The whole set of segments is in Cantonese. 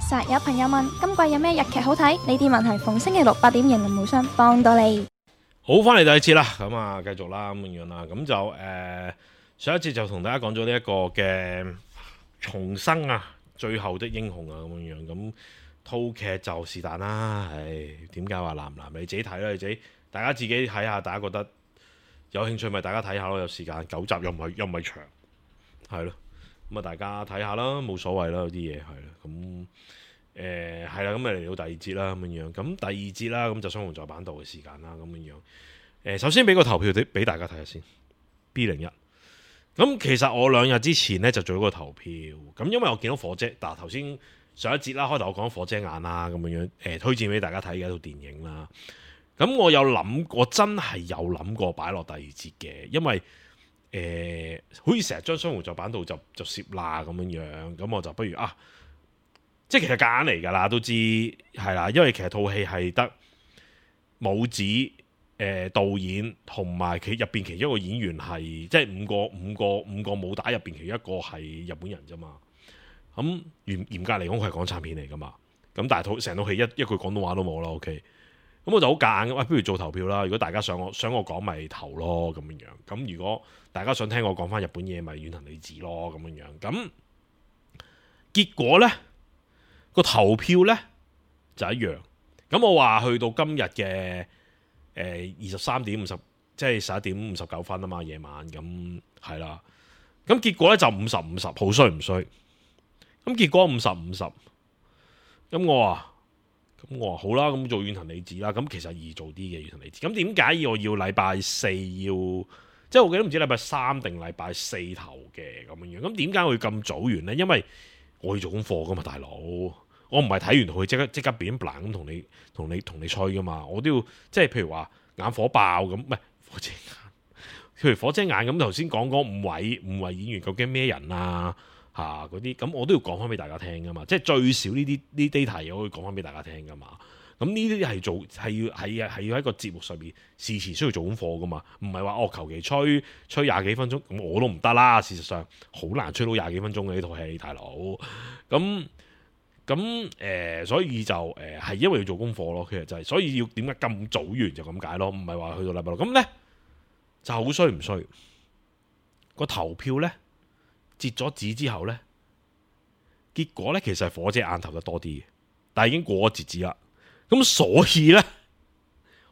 實有朋友問今季有咩日劇好睇？呢啲問題逢星期六8點迎林無雙幫到你。好，翻嚟第二節啦，咁啊繼續啦咁樣啦，咁就上一節就同大家講咗呢一個嘅重生啊，最後的英雄啊咁樣，咁套劇就是但啦，點解話難唔難？你自己睇啦，大家自己睇下，大家覺得有興趣咪大家睇下咯，有時間9集又唔係長，係咯，咁啊大家睇下啦，冇所謂啦，有啲嘢係啦，咁。係啦，咁咪嚟到第二節啦，咁樣咁第二節啦，咁就雙雄在版度嘅時間啦，咁樣首先俾個投票俾大家睇下先 B01。咁其實我2日之前呢就做咗個投票，咁因為我見到火姐，嗱頭先上一節啦，開頭我講火遮眼啦，咁樣推薦俾大家睇嘅一套電影啦。咁我有諗，我真係有諗過擺落第二節嘅，因為好似成日將雙雄在版度就攝啦咁樣，咁我就不如即係其實夾硬嚟㗎啦，都知係啦，因為其實套戲係得武子、導演同埋佢入邊其中一個演員係即係五個武打入邊其中一個係日本人啫嘛。咁嚴格嚟講，佢係港產片嚟㗎嘛。咁但係成套戲一句廣東話都冇啦。OK，咁我就好夾硬，不如做投票啦。如果大家想我講咪投咯咁樣。咁如果大家想聽我講翻日本嘢，咪遠藤理子咯咁樣。咁結果呢？個投票呢就一樣，咁我話去到今日嘅23點50，即係11點59分啊嘛，夜晚咁係啦，咁結果呢就50-50，好衰唔衰？咁結果50-50，咁我話好啦，咁做遠藤理子啦，咁其實易做啲嘅遠藤理子，咁點解我要禮拜4要？即係我記得唔知禮拜3定禮拜4投嘅咁樣，咁點解會咁早完呢？因為我要做功課噶嘛，大佬，我唔係睇完佢即刻變咁同你吹噶嘛，我都要即係譬如話眼火爆咁，唔係火遮眼，譬如火遮眼咁頭先講嗰五位演員究竟咩人啊嗰啲，咁我都要講翻俾大家聽噶嘛，即係最少呢啲 data 我可以講翻俾大家聽噶嘛。咁呢啲係要喺個節目上面事前需要做功課噶嘛，唔係話求其吹20幾分鐘，咁我都唔得啦。事實上好難吹到20幾分鐘嘅呢套戲，大佬。所以就係因為要做功課咯，其實就係所以要點解咁早完就咁解咯，唔係話去到禮拜6。咁呢就好衰唔衰？個投票呢截咗紙之後呢，結果呢其實係火遮眼投得多啲嘅，但係已經過咗截止啦。咁所以呢，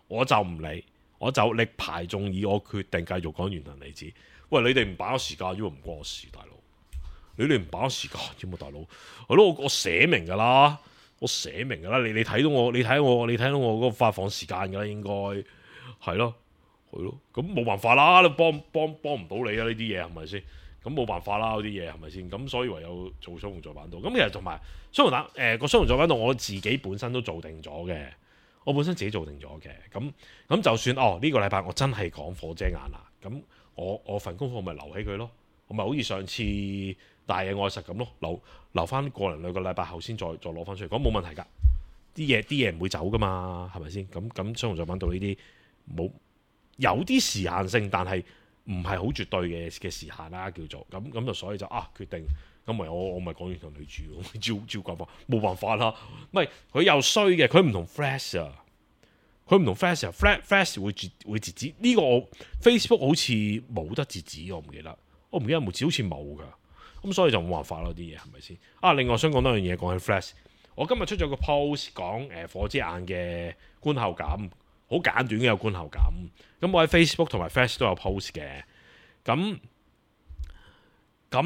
我就唔理，我就力排眾議，我決定繼續講遠藤理子。喂，你哋唔把握時間，因為唔關我事，大佬。你哋唔把握時間，知冇，大佬？係咯，我寫明噶啦，你睇到我嗰個發放時間噶啦，應該係咯，咁冇辦法啦，你幫唔到你啊，呢啲嘢係咪先？咁冇辦法啦，嗰啲嘢係咪先？咁所以唯有做雙雄在版度。咁其實同埋雙雄個雙雄在版度，我自己本身都做定咗嘅。我本身自己做定咗嘅。咁就算呢個禮拜我真係講火遮眼啦，咁我份功課咪留起佢咯。我咪好似上次大野愛實咁咯，留翻個零2個禮拜後先再攞翻出嚟講，冇問題㗎。啲嘢唔會走㗎嘛，係咪先？咁雙雄在版度呢啲冇有啲時限性，但係唔係好絕對嘅時限啦，叫做咁就所以就決定咁咪我咪講遠藤理子咯，照講法冇辦法啦。唔係佢又衰嘅，佢唔同 Flash 啊，佢唔同 Flash 會截止呢個我 Facebook 好似冇得截止，我唔記得有冇截，好似冇㗎。咁所以就冇辦法咯，啲嘢係咪先？另外想講多樣嘢，講起 Flash，我今日出咗個 post 講火遮眼嘅觀後感。好簡短嘅有觀後感，咁我喺 Facebook 同埋 Flash 都有 post 嘅，咁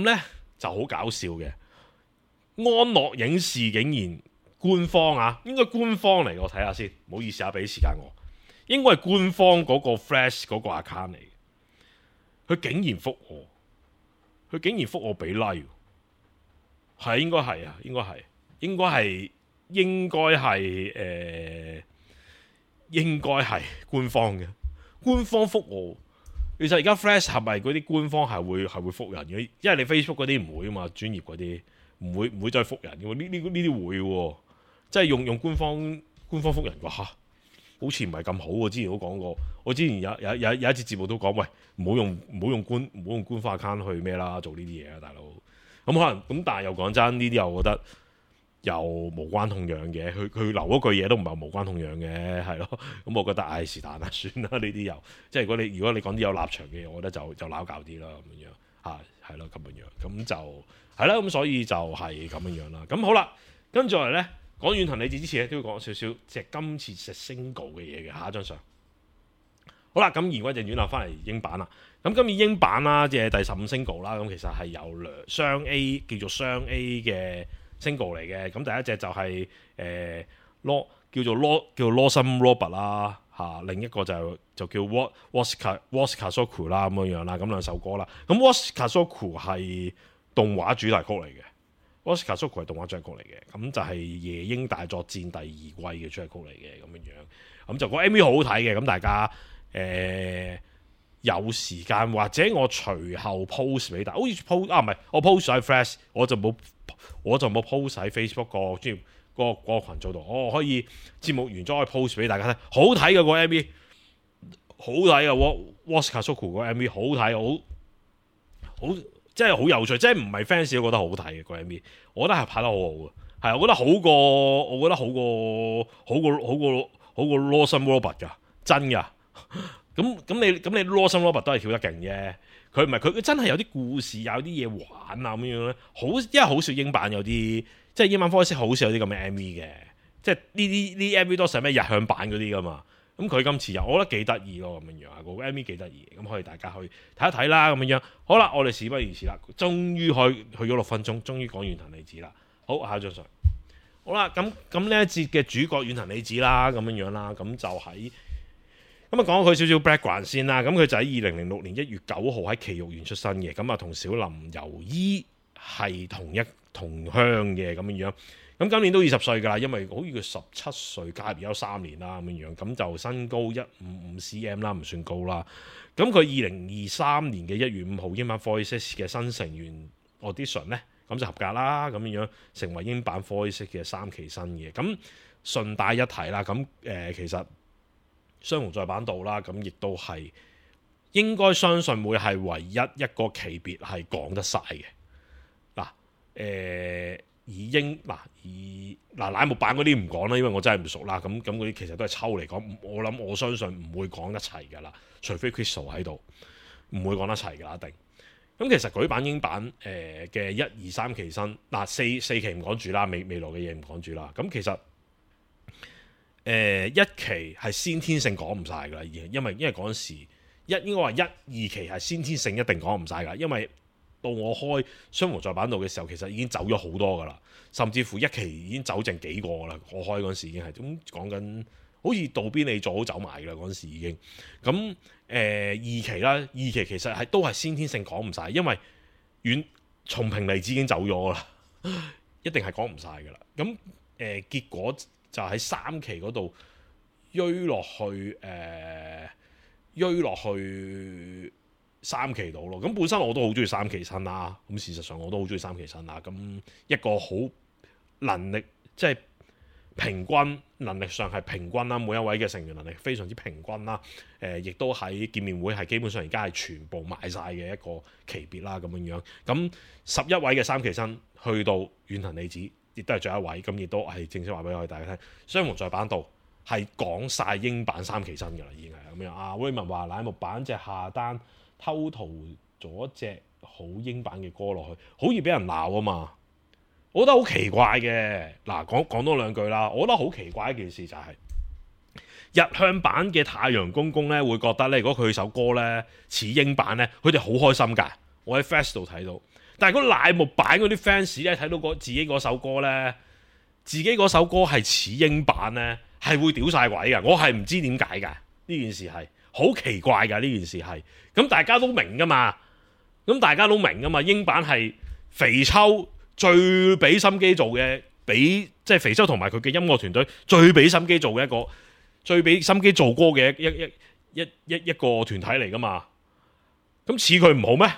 呢就好搞笑嘅。安樂影視竟然官方應該官方嚟，我睇下先，唔好意思俾時間我，應該係官方嗰個 Flash 嗰個 account 嚟，佢竟然覆我俾 like， 係應該係官方嘅，官方覆我。其實而家 Flash 係咪嗰啲官方係會覆人嘅？因為你 Facebook 嗰啲唔會啊嘛，專業嗰啲唔會再覆人嘅喎。呢啲會喎，即係用官方覆人嘅嚇，好似唔係咁好喎。之前都講過，我之前有一節節目都講，喂，唔好用官方 account 去咩啦，做呢啲嘢啊，大佬。咁可能咁，但係又講真，呢啲又覺得又無關痛癢嘅，佢留嗰句嘢都唔係無關痛癢嘅，係咯。咁我覺得唉是但啦，算啦，呢啲又即係如果你講啲有立場嘅嘢，我覺得就撈搞啲啦咁樣嚇，係咯咁樣，咁就係啦。咁所以就係咁樣啦。咁好啦，跟住嚟咧講遠藤理子之前咧，都要講少少即係今次隻 single 嘅嘢嘅。下一張相好啦，咁言歸正傳啦，翻嚟英版啦。咁今年英版啦，即係第15 single 啦。咁其實係有雙 A 叫做雙 A 嘅 single 嚟嘅。咁第一隻就係叫做 Lawson Robert 啦嚇，另一個就叫 What's Kazoku 啦咁樣啦。咁兩首歌啦。咁 What's Kazoku 係動畫主題曲嚟嘅。What's Kazoku 係動畫主題曲嚟嘅。咁就係夜鷹大作戰第2季嘅主題曲嚟嘅咁樣。咁就個 MV 好好睇嘅。咁大家有時間或者我隨後 post 俾大家，好似 post 唔係我 post 喺 Flash， 我就冇 post 喺 Facebook 個專業嗰個羣組度。我可以節目完咗可以 post 俾大家睇，好睇嘅個 MV， 好睇嘅 What's Kazoku 個 MV 好睇，好即係好有趣，即係唔係 fans 都覺得好睇嘅個 MV， 我覺得係拍得好好嘅，係我覺得好過 Lawson Robert 㗎，真㗎。咁你 Lawson Robert 都係跳得勁啫，佢唔係佢真係有啲故事，有啲嘢玩啊咁樣咧。因為好少英版有啲，即係英版 Voice 好少有啲咁嘅 MV 嘅，即係呢 MV 多數係咩日向版嗰啲噶嘛。咁佢今次我覺得幾得意咯咁樣啊，個 MV 幾得意，咁可以大家去睇一睇啦咁樣。好啦，我哋事不宜遲啦，終於去咗6分鐘，終於講遠藤理子啦。好，下一張相。好啦，咁呢一節嘅主角遠藤理子啦，咁樣啦，咁就喺。咁啊，講佢少少 background 先啦。咁佢就喺2006年1月9號喺埼玉縣出生嘅。咁啊，同小林由依係同鄉嘅咁樣。咁今年都20歲㗎啦，因為好似佢17歲加入有3年啦咁樣。咁就身高155 cm 啦，唔算高啦。咁佢2023年嘅1月5號英版 Voice 嘅新成員 audition 咧，咁就合格啦。咁樣成為英版 Voice 嘅3期新嘅。咁順帶一提啦，咁其實。雙雄在版道啦，咁亦都係應該相信會係唯一一個期別係講得晒嘅。乃木坂嗰啲唔講啦，因為我真係唔熟啦。咁嗰啲其實都係抽嚟講，我相信唔會講得齊㗎啦，除非 Crystal 喺度，唔會講得齊㗎啦，一定。咁其實舉版英版嘅1、2、3期新4期唔講住啦，未來嘅嘢唔講住啦。咁其實。1期係先天性講唔晒㗎啦，因為嗰陣時應該話1、2期係先天性一定講唔晒㗎，因為到我開雙雄在版道嘅時候，其實已經走咗好多㗎啦，甚至乎1期已經走剩幾個㗎啦。我開嗰陣時已經係咁講緊，好似渡邊你做好走埋㗎啦，嗰陣時已經。咁2期啦，2期其實都係先天性講唔晒，因為松平離子已經走咗㗎啦，一定係講唔晒㗎啦。咁結果。就喺3期嗰度追落去3期度咯。咁本身我都好中意3期新啦。咁事實上我都好中意3期新啦。咁一個好能力即係平均，能力上係平均啦。每一位嘅成員能力非常之平均啦。亦都喺見面會係基本上而家係全部賣晒嘅一個級別啦。咁樣。咁11位嘅3期新去到遠藤理子。亦都係最後一位，咁亦都係正式話俾我哋大家聽。雙雄在版道係講晒英版3期新㗎啦，已經係咁樣。阿威文話乃木坂隻下單偷塗咗隻好英版嘅歌落去，好易俾人鬧啊嘛。我覺得好奇怪嘅。嗱，講多兩句啦。我覺得好奇怪一件事就係、日向版嘅太陽公公咧，會覺得咧，如果佢首歌咧似英版咧，佢哋好開心㗎。我喺 Fast 度睇到。但係嗰乃木坂嗰啲 fans 咧，睇到自己嗰首歌咧，自己嗰首歌係似英版咧，係會屌晒鬼㗎。我係唔知點解㗎，呢件事係好奇怪㗎。呢件事係咁大家都明㗎嘛，英版係肥秋最俾心機做嘅，即係肥秋同埋佢嘅音樂團隊最俾心機做嘅一個，最俾心機做歌嘅一個團體嚟㗎嘛。咁似佢唔好咩？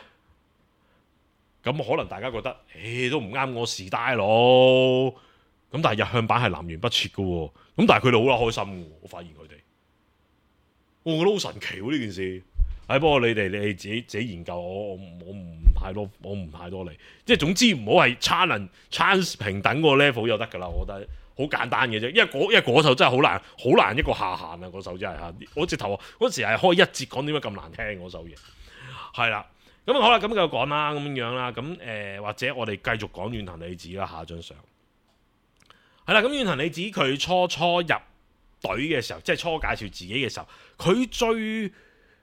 咁可能大家覺得，都唔啱我時代咯。咁但係日向版係南轅北轍嘅喎。咁但係佢哋好啦開心嘅喎。我發現佢哋，我覺得好神奇喎呢件事。係不過你哋自己研究，我唔太多理。即係總之唔好係 challenge 平等個 level 就得㗎啦。我覺得好簡單嘅啫，因為嗰首真係好難一個下限啊！嗰首真係嚇，我直頭嗰時係開一節講點解咁難聽嗰首嘢，係啦。咁好啦，咁繼續講啦，咁樣啦，咁或者我哋繼續講遠藤理子啦，下張相係啦。咁遠藤理子佢初入隊嘅時候，即係初介紹自己嘅時候，佢最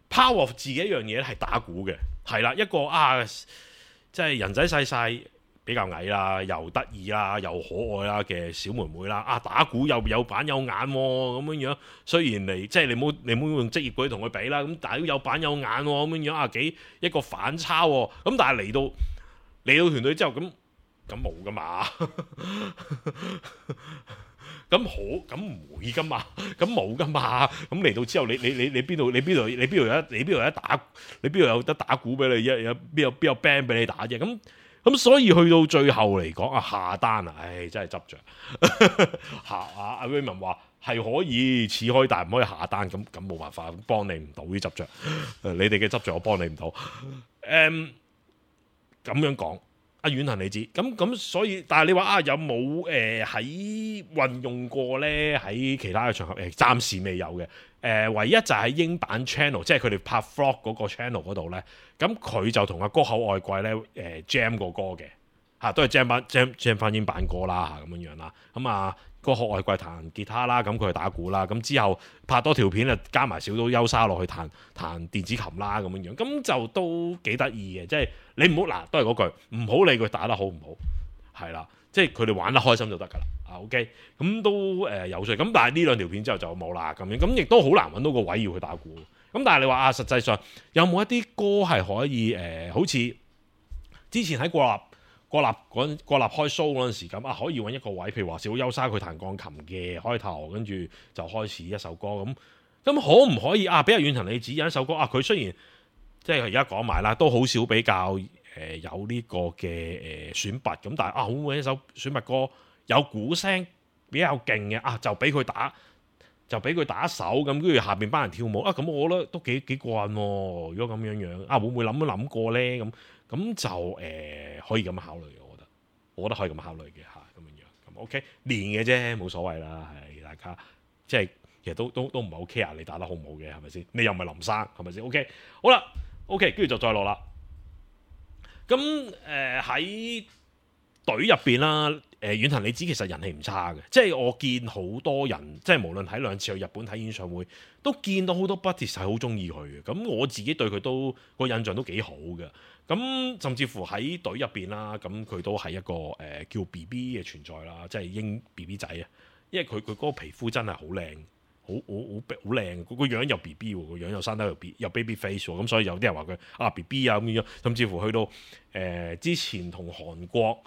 power 自己一樣嘢係打鼓嘅，係啦，一個即係人仔細細，比較矮啦，又得意啦，又可愛啦嘅小妹妹啦，打鼓又有板有眼喎，咁樣樣。雖然即係你冇用職業嗰啲同佢比啦，咁但係都有板有眼喎，咁樣樣幾一個反差喎。咁但係嚟到團隊之後，咁冇噶嘛，咁唔會噶嘛，咁冇噶嘛。咁嚟到之後，你邊度有得打鼓俾你？邊有 band 俾你打啫？咁所以去到最後嚟講下單真係執着。阿 Raymond 話係可以似開，但係唔可以下單。咁冇辦法，幫你唔到啲執着。你哋嘅執着我幫你唔到。咁樣講，遠藤理子咁所以，但係你話有冇喺運用過咧？喺其他嘅場合暫時未有嘅。唯一就係英版 channel， 即係佢哋拍 vlog 嗰個 channel 嗰度咧，咁佢就同阿歌口愛貴咧jam 過歌嘅，都係 jam 翻英版歌啦，咁樣啦。咁歌口愛貴彈吉他啦，咁佢係打鼓啦。咁之後拍多條片加埋小島優沙落去彈電子琴啦，咁樣，咁就都幾得意嘅。即係你唔好都係嗰句，唔好理佢打得好唔好，係啦。即係佢哋玩得開心就得㗎啦，OK， 咁都有趣。咁但係呢兩條片之後就冇啦，咁亦都好難揾到個位要去打鼓。咁但係你話實際上有冇一啲歌係可以好似之前喺國立開 show 嗰陣時咁可以揾一個位，譬如話小島優沙佢彈鋼琴嘅開頭，跟住就開始一首歌咁可唔可以比如遠藤理子有一首歌佢雖然即係而家講埋啦，都好少比較。有呢個嘅選拔咁，但係會唔會一首選拔歌有鼓聲比較勁嘅就俾佢打一首咁，跟住下邊班人跳舞咁，我覺得都幾過癮喎。如果咁樣會唔會諗過咧？咁就可以咁考慮嘅，我覺得可以咁考慮嘅咁樣咁 OK 練嘅啫，冇所謂啦，係大家即係其實都唔係好 care 你打得好唔好嘅，係咪先？你又唔係林生，係咪先 ？OK 好啦 ，OK 跟住就再落啦。咁喺隊入邊啦，遠藤理子其實人氣唔差嘅，即係我見好多人，即係無論睇兩次去日本睇演唱會，都見到好多 buddies 係好中意佢嘅。咁我自己對佢都個印象都幾好嘅。咁甚至乎喺隊入邊啦，咁佢都係一個叫 BB 嘅存在啦，即係英 BB 仔啊，因為佢嗰個皮膚真係好靚。好靚，個樣又 B B 喎，個樣又生得又 baby face 喎，咁所以有啲人話佢B B 咁樣，甚至乎去到之前同韓國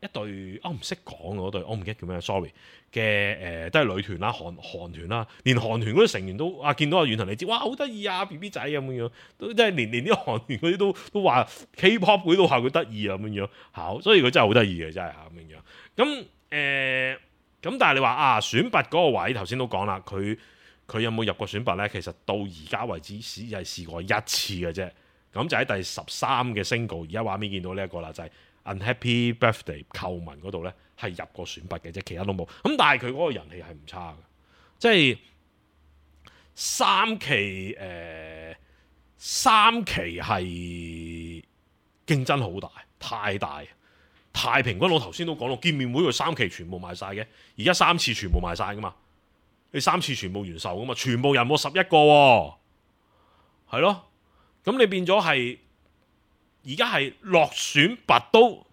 一隊唔識講嗰隊，我唔記得叫咩 ，sorry 嘅都係女團啦，韓團啦，連韓團嗰啲成員都見到遠藤理子，哇好得意BB 仔咁樣，都即係連啲韓團嗰啲都話 K-pop 嗰啲都話佢得意咁樣，所以佢真係好得意嘅真係咁樣，咁但係你話選拔嗰個位頭先都講啦，佢有冇入過選拔呢？其實到而家為止只係試過一次嘅啫。咁就喺第13嘅 single，而家畫面見到呢一個啦，就係 Unhappy Birthday 寇文嗰度呢，係入過選拔嘅啫，其他都冇。咁但係佢嗰個人氣係唔差嘅，即係三期係競爭好大，太大。太平均，我頭先都講咯，見面會佢3期全部賣晒嘅，而家3次全部賣晒噶嘛，你3次全部完售噶嘛，全部人冇11個喎，係咯，咁你變咗係而家係落選拔都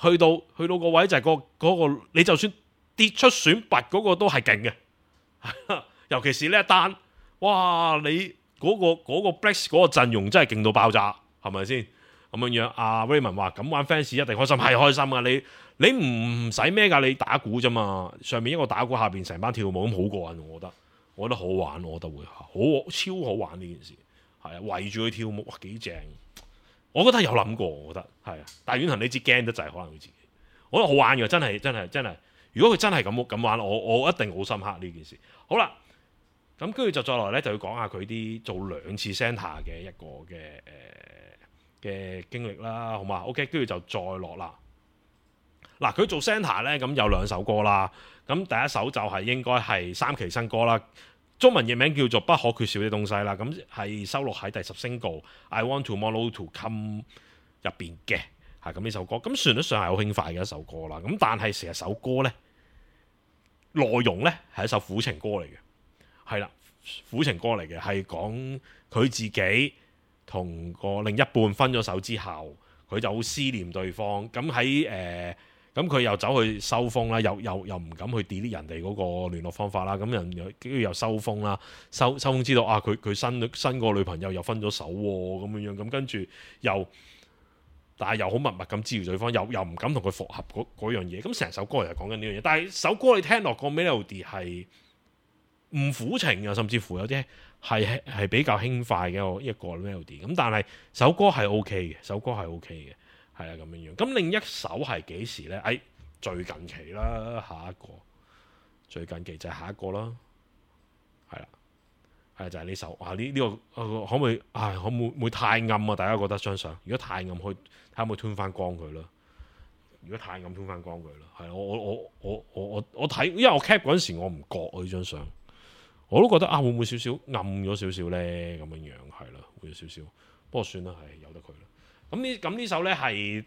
去到個位就係嗰個，你就算跌出選拔嗰個都係勁嘅，尤其是呢一單，哇！你嗰個 Blacks 嗰個陣容真係勁到爆炸，係咪先？咁樣Raymond 話咁玩 fans 一定開心，係開心啊！你唔使咩㗎，你打鼓啫嘛，上面一個打鼓，下邊成班跳舞咁好過癮，我覺得好玩，我覺得會超好玩呢件事，係啊，圍住佢跳舞，哇幾正！我覺得有諗過，我覺得係啊，但係遠藤理子驚得滯，可能佢自己，我覺得好玩嘅，真係。如果佢真係咁玩，我一定好深刻呢件事。好啦，咁跟住就再落咧，就要講下佢啲做2次 centre 嘅一個嘅經歷啦，好嘛 ？OK， 跟住就再落啦。嗱，佢做 centre 咧，咁有2首歌啦。咁第一首就係應該係3期新歌啦，中文譯名叫做《不可缺少的東西》啦。咁係收錄喺第10 single I Want Tomorrow to Come 入邊嘅，係咁呢首歌。咁旋律上係好輕快嘅一首歌啦。咁但係成首歌咧，內容咧係一首苦情歌嚟嘅，係啦，苦情歌嚟嘅，係講佢自己同個另一半分咗手之後，佢就好思念對方。咁喺咁佢又走去收風啦，又唔敢去 delete 人哋嗰個聯絡方法啦。咁人跟住又收風啦，收風知道啊，佢新個女朋友又分咗手喎，咁樣樣。咁跟住但係又好密密咁支持對方，又唔敢同佢復合嗰樣嘢。咁成首歌就係講緊呢樣嘢。但係首歌你聽落個 melody 係唔苦情啊，甚至乎有啲係比較輕快嘅一個 melody。咁但係首歌係 OK 嘅，首歌係 OK 嘅。係啊，咁樣樣。咁另一首係幾時呢？最近期啦，下一個最近期就係下一個啦，係啦，係就係呢首。呢個可唔可以？可唔會太暗啊？大家覺得張相？如果太暗，睇下可唔可以吞翻光佢啦。如果太暗，吞翻光佢啦。係我睇，因為我 cap 嗰陣時我唔覺呢張相，我都覺得會唔會少少暗咗少少呢？咁樣樣係啦，會有少少。不過算啦，係由得佢啦。咁呢首咧係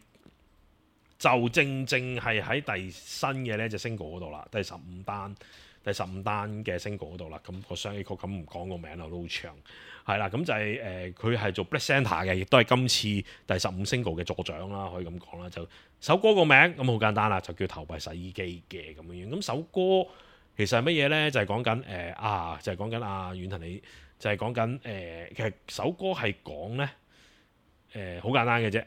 就正係喺第新嘅呢隻 single 嗰度啦，第15單嘅 single 嗰度啦。咁個雙 A 曲咁唔講個名啦，都好長。係啦，咁就係佢係做 Black Centre 嘅，亦都係今次第15 single 嘅助長啦，可以咁講啦。就首歌個名咁好簡單啦，就叫投幣洗衣機嘅咁樣樣。咁首歌其實係乜嘢咧？就係講緊就係講緊遠藤你，就係講緊其實首歌係講咧。好簡單嘅啫，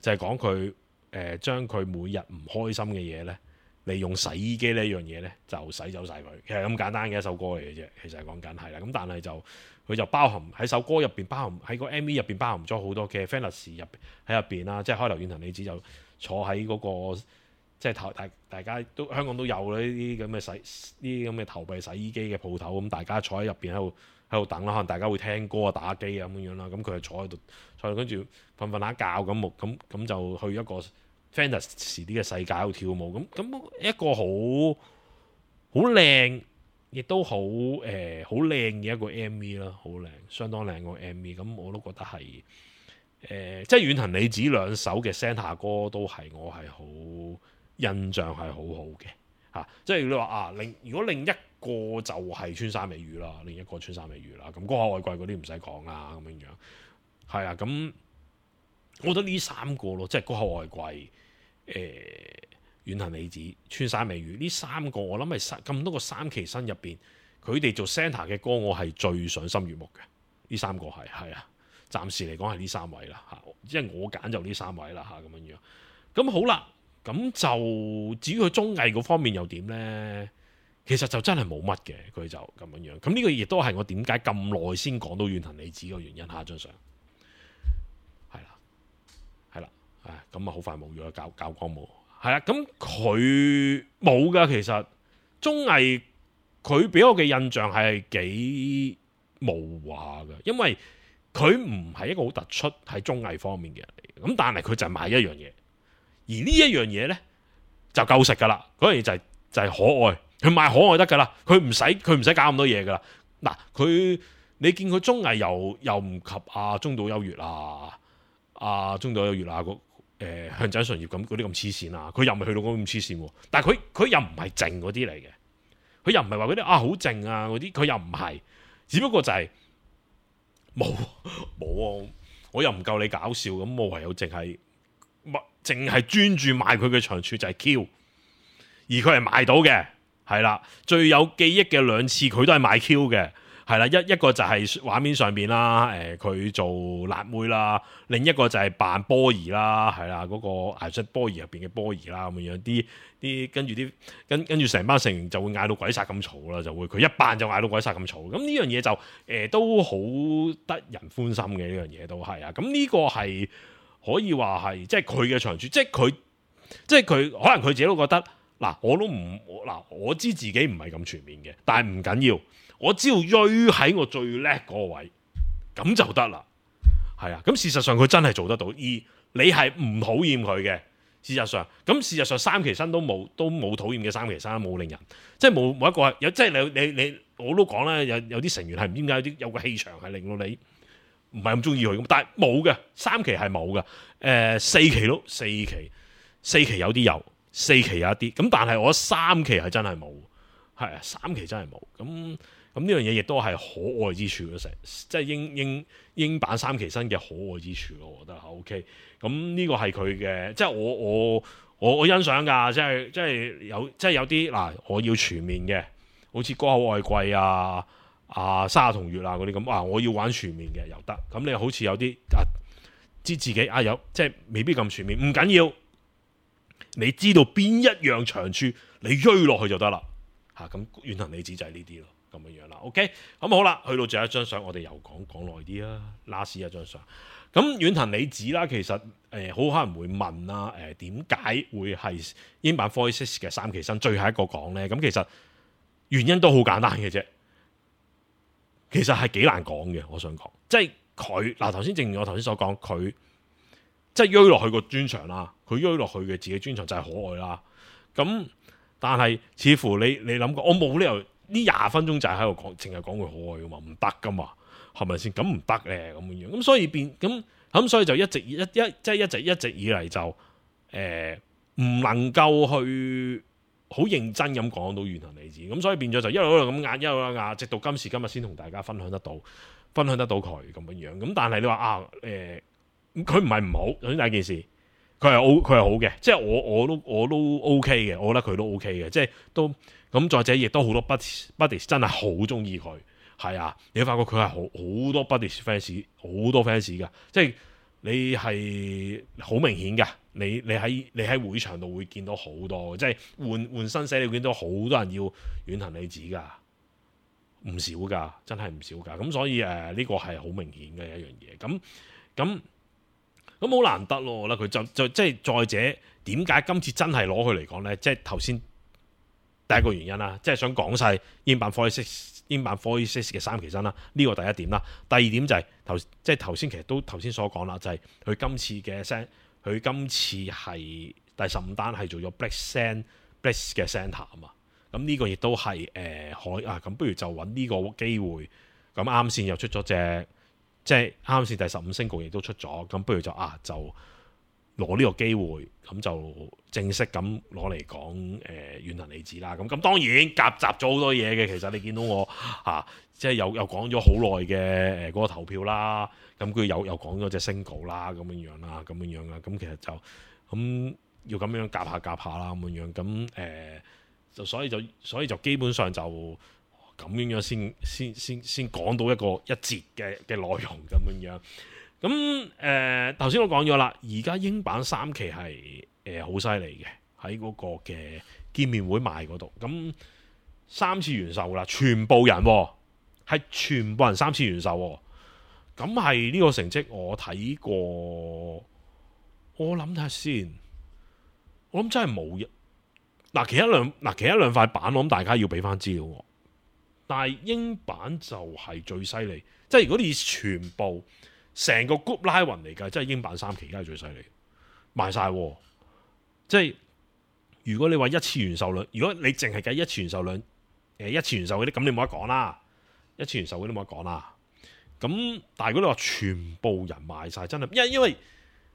就係講佢將佢每日唔開心嘅嘢呢，利用洗衣機呢樣嘢呢，就洗走晒佢。其實咁簡單嘅一首歌嚟嘅啫，其實係講緊係啦。咁但係佢就包含喺首歌入邊，包含喺個 MV 入邊包含咗好多嘅 fantasy 喺入邊啦。即係開頭遠藤理子就坐喺嗰個即係大家都香港都有呢啲咁嘅投幣洗衣機嘅鋪頭，咁大家坐喺入邊喺度等啦，可能大家會聽歌啊、打機啊咁樣啦。咁佢就坐喺度，跟住瞓下覺咁就去一個 fantasy 啲嘅世界喺度跳舞。咁一個好靚，亦都好靚嘅一個 MV 啦，好靚，相當靚個 MV。咁我都覺得係即係遠藤理子2首嘅 centre 歌都係我係好印象係好好嘅。即係你話如果另一個就係穿山美語啦，另一個穿山美語啦，咁歌口愛貴嗰啲唔使講啦，咁樣樣係啊。咁我覺得呢3個咯，即係歌口愛貴、遠藤理子、穿山美語呢3個，我諗係咁多個3期新入邊，佢哋做 centre 嘅歌，我係最賞心悅目嘅。呢3個係啊，暫時嚟講係呢3位啦，即係我揀就呢3位啦，咁樣樣。咁好啦。咁就至於佢綜藝嗰方面又點呢？其實就真係冇乜嘅，佢就咁樣樣。咁呢個亦都係我點解咁耐先講到遠藤理子嘅原因。下張相係啦，咁好快冇咗教光冇係啦。咁佢冇噶，其實綜藝佢俾我嘅印象係幾模糊下嘅，因為佢唔係一個好突出喺綜藝方面嘅人嚟。咁但係佢就係賣一樣嘢。而呢一樣嘢呢，就夠食噶啦，嗰樣嘢就係可愛，佢賣可愛得噶啦，佢唔使搞咁多嘢噶啦。嗱，你見佢綜藝又唔及中島優越中島優越向井純葉咁嗰啲咁黐線啊，佢又唔係去到嗰咁黐線喎。但係佢又唔係靜嗰啲嚟嘅，佢又唔係話嗰啲好靜啊嗰啲，佢又唔係，只不過就係冇我又唔夠你搞笑，咁我唯有淨係專注賣佢嘅長處就係 Q， 而佢係賣到嘅，係啦。最有記憶嘅2次佢都係賣 Q 嘅，係啦。一個就係畫面上邊啦，佢做辣妹啦，另一個就係扮波兒啦，係啦，嗰個藝術波兒入邊嘅波兒啦，咁樣跟住成班成員就會嗌到鬼殺咁嘈啦，就會佢一扮就嗌到鬼殺咁嘈。咁呢樣嘢就都好得人歡心嘅，呢樣嘢都係啊。咁呢個係。可以話係即係佢嘅長處，即係佢可能佢自己都覺得我知自己唔係咁全面嘅，但係唔緊要，我只要追喺我最叻嗰個位，咁就得啦。係啊，咁事實上佢真係做得到，而你係唔討厭佢嘅。事實上三期生都冇討厭嘅三期生，冇令人即係冇一個有，即係你我都講啦，有啲成員係唔知點解有個氣場係令到你唔係咁中意佢咁，但係冇嘅，三期係冇嘅，四期有啲有，四期有一啲，咁但係我三期係真係冇，係啊，三期真係冇，咁呢樣嘢亦都係可愛之處咯，即係英版三期生嘅可愛之處咯，我覺得 OK。咁呢個係佢嘅，即係我欣賞㗎，即係有啲嗱，我要全面嘅，好似歌口愛貴沙同月嗰啲咁，我要玩全面嘅又得。咁你好似有啲知自己有，即係未必咁全面，唔緊要，你知道邊一樣長處，你追落去就得啦嚇。咁遠藤理子就係呢啲咯，咁樣啦。OK， 咁好啦，去到最後一張相，我哋又講耐啲啦，last 一張相。咁遠藤理子啦，其實好可能會問啦，點解會係英版 46嘅三期生最後一個講呢？咁其實原因都好簡單嘅啫，其實係幾難講嘅。我想講，即係佢嗱頭先正如我頭先所講，佢即係追落去個專長啦，佢追落去嘅自己專長就係可愛啦。咁但係似乎你諗過，我冇理由呢20分鐘就係喺度講，淨係講佢可愛噶嘛，唔得噶嘛。係咪先？咁唔得咧，咁樣，咁所以所以就一直以嚟就唔能夠去好認真咁講到遠藤理子，咁所以變咗就一路咁壓，直到今時今日先同大家分享得到佢咁樣。咁但係你話佢唔係唔好，首先第一件事，佢係好嘅，即係我都 OK 嘅，我覺得佢都 OK 嘅，即係都咁。再者亦都好多 buddies 真係好中意佢。係啊，你會發覺佢係好多 buddies fans， 好多 fans 噶，即係你係好明顯噶。你喺會場度會見到好多，即係換新寫，你會見到好多人要遠藤理子噶，唔少噶，真係唔少噶。咁所以呢個係好明顯嘅一樣嘢。咁好難得咯，我覺得佢就即係再者，點解今次真係攞佢嚟講咧？即係頭先第一個原因啦，即係想講晒英版46嘅三期生啦，呢個第一點啦。第二點就係頭先其實都頭先所講啦，就係佢今次係第15單係做咗 Bliss 嘅 Center 啊嘛。咁呢個亦都係咁不如就揾呢個機會。咁啱先又出咗隻，即係啱先第15星局亦都出咗，咁不如就攞呢個機會，咁就正式咁攞嚟講遠藤理子啦。咁當然夾雜咗好多嘢嘅。其實你見到我即係又講咗好耐嘅嗰個投票啦。咁佢又講咗隻single啦，咁樣啦。咁其實就咁要咁樣夾下啦，咁樣。咁就所以就基本上就咁樣先講到一節嘅內容咁樣。咁頭先我講咗啦，而家英版3期係好犀利嘅，喺嗰個嘅見面會賣嗰度。咁3次元售啦，全部人係全部人3次元售。咁係呢個成績我睇過，我諗睇下先，我諗真係冇一其他兩塊板，我諗大家要俾翻資料我。但係英版就係最犀利，即係如果你全部成個 group 拉勻嚟計，即係英版3期梗係最犀利，賣晒。即係如果你話一次元售量，如果你淨係計一次元售量，一次元售嗰啲，咁你冇得講啦。一次元售嗰啲冇得講啦。咁但係如果你話全部人賣晒，真係因為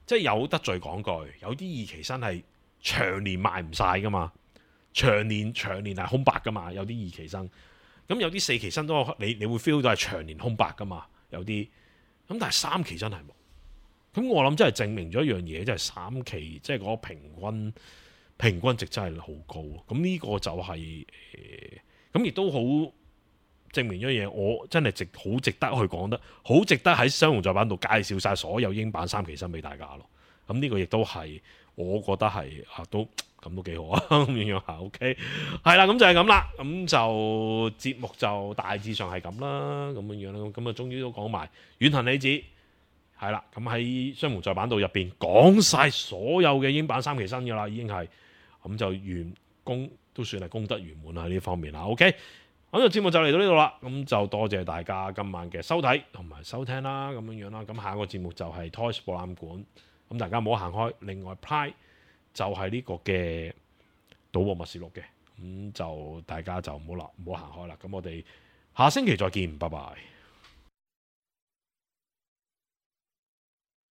即係有得罪講句，有啲二期生係長年賣唔晒噶嘛，長年係空白噶嘛，有啲二期生。咁有啲4期生都你會 feel 到係長年空白噶嘛，有啲。咁但係3期真係冇，咁我諗真係證明咗一樣嘢，即係3期即係嗰個平均值真係好高。咁呢個就係咁亦都好證明咗嘢，我真係好值得去講得，好值得喺雙雄再版度介紹晒所有英版3期生俾大家咯。咁呢個亦都係我覺得係都幾好啊，咁樣嚇 OK 係啦，咁就係咁啦。咁就節目就大致上係咁啦，咁樣啦。咁終於都講埋遠藤理子係啦。咁喺雙雄再版度入邊講晒所有嘅英版3期生㗎啦，已經係咁就都算係功德圓滿喺呢方面啦。OK，咁就節目就嚟到呢度啦，咁就多謝大家今晚嘅收睇同埋收聽啦，咁樣啦。咁下一個節目就係 Toys 博覽館，咁大家唔好行開。另外 Pride 就係呢個嘅賭博默示錄嘅，咁就大家就唔好行開啦。咁我哋下星期再見，拜拜。